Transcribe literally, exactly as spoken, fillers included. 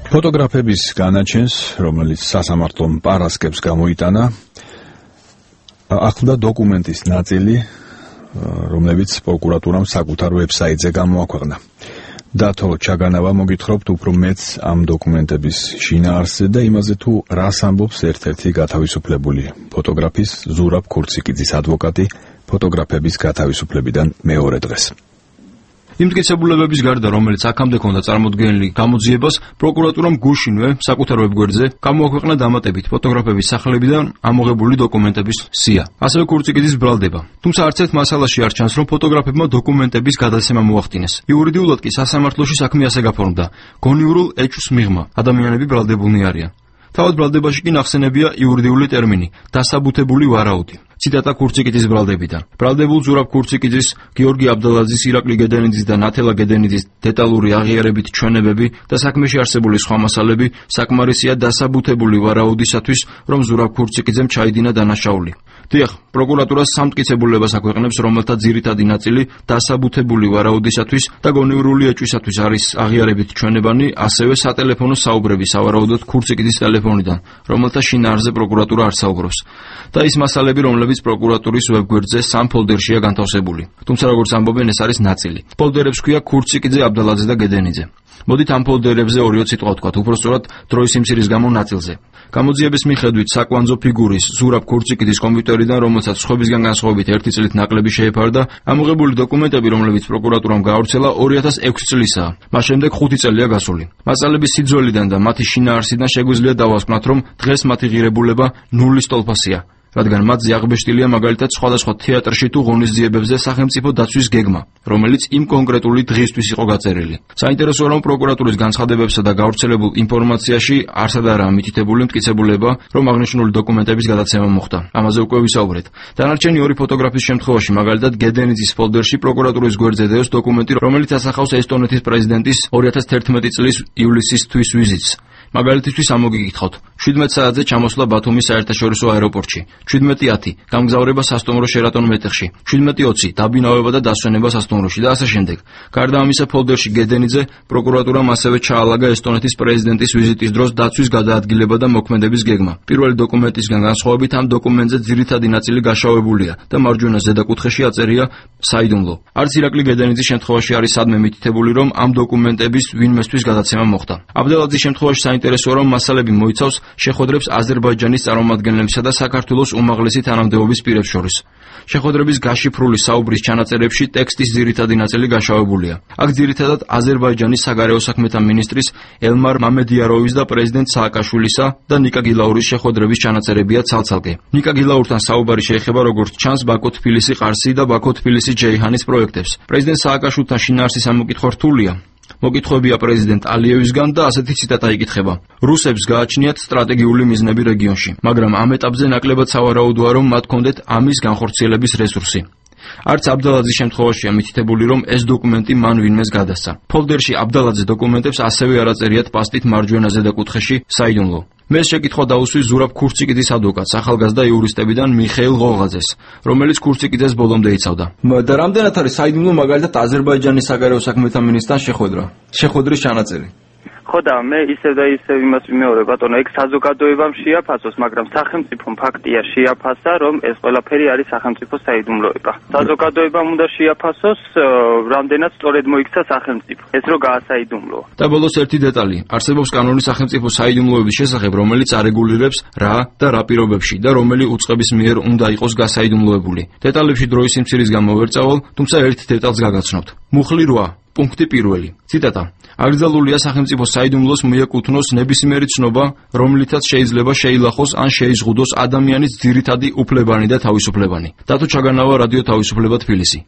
ფოტოგრაფების განაჩენს, რომელიც სასამართლომ პარასკევს გამოიტანა, ახლდა დოკუმენტის ნაწილი, რომლებიც პროკურატურამ საკუთარ ვებსაიტზე გამოაქვეყნა. დათო ჩაგანავა მოგითხრობთ უფრო მეც ამ დოკუმენტების შინაარსზე და იმაზე თუ რას ამბობს ერთ-ერთი გათავისუფლებული ფოტოგრაფის ზურაბ ქურციკიძის ადვოკატი ფოტოგრაფების გათავისუფლებიდან მეორე დღეს. იმ მტკიცებულებების გარდა, რომელიც აქამდე ჰქონდა წარმოდგენილი გამოძიებას, პროკურატურამ გუშინვე საკუთარ ვებგვერდზე გამოაქვეყნა დამატებით ფოტოგრაფების სახლებიდან ამოღებული დოკუმენტების სია. ასევე ქურციკიძის ბრალდება. თუმცა არც ერთ მასალაში არ ჩანს, რომ ფოტოგრაფებმა დოკუმენტების გადაცემა მოახდინეს. იურიდიულად კი სასამართლოში საქმე ასე გაფორმდა: გონიურულ ეჭვს მიღმა, ადამიანები ბრალდებულნი არიან. თავად ბრალდებაში კი ნახსენებია იურიდიული ტერმინი დასაბუთებული ვარაუდი. ციტატა ქურციკიძის ბრალდებიდან. ბრალდებულ ზურაბ ქურციკიძის, გიორგი აბდალაძის, ირაკლი გედენიძის და ნათელა გედენიძის დეტალური აღიარებით ჩვენებები და საქმეში არსებული სხვა მასალები საკმარისია დასაბუთებული ვარაუდისათვის, რომ ზურაბ ქურციკიძემ ჩაიდინა დანაშაული. დიახ, პროკურატურა სამტკიცებულებას აქვეყნებს, რომელთა ძირითადი ნაწილი დასაბუთებული ვარაუდისათვის და გონივრული ეჭვისათვის არის აღიარებით ჩვენებანი, ასევე სატელეფონო საუბრები სავარაუდოდ ქურციკიძის ტელეფონიდან, რომელთა შინაარსზე პროკურატურა არ საუბრობს. და ის მასალები, რომლებიც პროკურატურის ვებგვერდზე სამ ფოლდერშია განთავსებული. თუმცა როგორც ამბობენ, ეს არის ნაწილი. ფოლდერებს ქვია ქურციკიძე, აბდალაძე და გედენიძე. მოდით ამ ფოლდერებზე ორი ციტყვა ვთქვათ, უпростоრად დროის სიმცირის გამო ნაწილზე. გამოძიების მიხედვით საკვანძო ფიგურის ზურაბ ქურციკიძის კომპიუტერიდან, რომელსაც სხვებისგან განსხვავებით ერთი წლით ნაკლები შეეფარდა, ამოღებული დოკუმენტები, რომლებიც პროკურატურამ გაავრცელა, ორი ათას ექვსი წლისაა. მას შემდეგ ხუთი წელია გასული. მასალების სიძველიდან და მათი შინაარსიდან შეგვიძლია დავასკვნათ, რომ დღეს მათი ღირებულება ნულის ტოლფასია. რადგან მათზე აღბეჭდილია მაგალითად სხვადასხვა თეატრში თუ ღონისძიებებზე სახელმწიფო დაცვის გეგმა, რომელიც იმ კონკრეტული დღისთვის იყო გაწერილი. საინტერესოა, რომ პროკურატურის განცხადებებსა და გავრცელებულ ინფორმაციაში არსადარაა მითითებული მტკიცებულება, რომ აღნიშნული დოკუმენტების გადაცემა მოხდა. ამაზე უკვე ვისაუბრეთ. დანარჩენი ორი ფოტოგრაფის შემთხვევაში, მაგალითად გედენიძის ფოლდერში პროკურატურის გვერდზე დევს დოკუმენტი, რომელიც ასახავს ესტონეთის პრეზიდენტის ორი ათას თერთმეტი წლის ივლისის თვის ვიზიტს. მაგალითისთვის ამოგიგითხავთ: შვიდმეტ საათზე ჩამოსვლა ბათუმის საერთაშორისო აეროპორტში, შვიდმეტი ათი გამგზავრება სასტუმრო შერატონ მეტეხში, შვიდმეტი ოცი დაბინავება და დასვენება სასტუმროში და ასე შემდეგ. გარდა ამისა, ფოლდერში გედენიძე პროკურატურამ ასევე ჩაალაგა ესტონეთის პრეზიდენტის ვიზიტის დროს დაცვის გადაადგილება და მოქმედების გეგმა. პირველი დოკუმენტისგან განსხვავებით, ამ დოკუმენტზე ძირითადი ნაწილი გაშავებულია და მარჯვენა ზედაკუთხეში აწერია საიდუმლო. არც ირაკლი გედენიძის შემთხვევაში არის სადმე მითითებული, რომ ამ დოკუმენტების ვინმესთვის გადაცემა მოხდა. აბდელაძის შემთხვევაში საინტერესოა, რომ მასალები მოიცავს შეხვედრებს აზერბაიჯანის წარმომადგენლებსა და საქართველოს უმაღლესი თანამდებობის პირებს შორის. შეხვედრების გაშიფრული საუბრის ჩანაწერებში ტექსტის ძირითადი ნაწილი გაშავებულია. აქ ძირითადად აზერბაიჯანის საგარეო საქმეთა მინისტრის ელმარ მამედიაროვის და პრეზიდენტ სააკაშვილისა და ნიკა გილაურის შეხვედრების ჩანაწერებია ცალ-ცალკე. ნიკა გილაურთან საუბარი შეეხება, როგორც ჩანს, ბაქო-თბილისი-ყარსი და ბაქო-თბილისი-ჯეიჰანის პროექტებს. პრეზიდენტ სააკაშვილთან შინაარსის ამოკითხვა რთულია. მოგითხრობია პრეზიდენტ ალიევისგან და ასეთი ციტატა იკითხება: რუსებს გააჩნიათ სტრატეგიული მიზნები რეგიონში, მაგრამ ამ ეტაპზე ნაკლებად სავარაუდოა, რომ მათ ჰქონდეთ ამის განხორციელების რესურსი. არც აბდალაძის შემთხვევაშია მითითებული, რომ ეს დოკუმენტი მან ვინმეს გადასცა. ფოლდერში აბდალაძის დოკუმენტებს ასევე არ აწერიათ პასტით მარჯვენა ზედაკუთხეში საიდუმლო. მე შეკითხვა დაუსვი ზურაბ ქურციკიძის ადვოკატს, ახალგაზრდა იურისტებიდან მიხეილ ღოღაძეს, რომელიც ქურციკიძეს ბოლომდე იცავდა. და რამდენად არის საიდუმლო მაგალითად აზერბაიჯანის საგარეო საქმეთა მინისტრთან შეხვედრა, შეხვედრის ჩანაწერი? ხო და მე ისევ და ისევ იმას ვიმეორებ, ბატონო, ეგ საზოგადოებამ შეაფასოს, მაგრამ სახელმწიფომ ფაქტია შეაფასა, რომ ეს ყველაფერი არის სახელმწიფოს საიდუმლოება. საზოგადოებამ უნდა შეაფასოს, რამდენად სწორედ მოიქცა სახელმწიფო, ეს რო გაასაიდუმლოა. და ბოლოს ერთი დეტალი: არსებობს კანონი სახელმწიფოს საიდუმლოების შესახებ, რომელიც არეგულირებს რა და რა პირობებში და რომელი უწყების მიერ უნდა იყოს გასაიდუმლოებული. დეტალებში დროის სიმცირის გამო ვერ წავალ, თუმცა ერთ დეტალს გაგაცნობთ. მუხლი რვა. პუნქტი პირველი. ციტატა: აკრძალულია სახელმწიფოს საიდუმლოს მიეკუთვნოს ნებისმიერი ცნობა, რომლითაც შეიძლება შეილახოს ან შეიზღუდოს ადამიანის ძირითადი უფლებანი და თავისუფლებანი. დათო ჩაგანავა, რადიო თავისუფლება, თბილისი.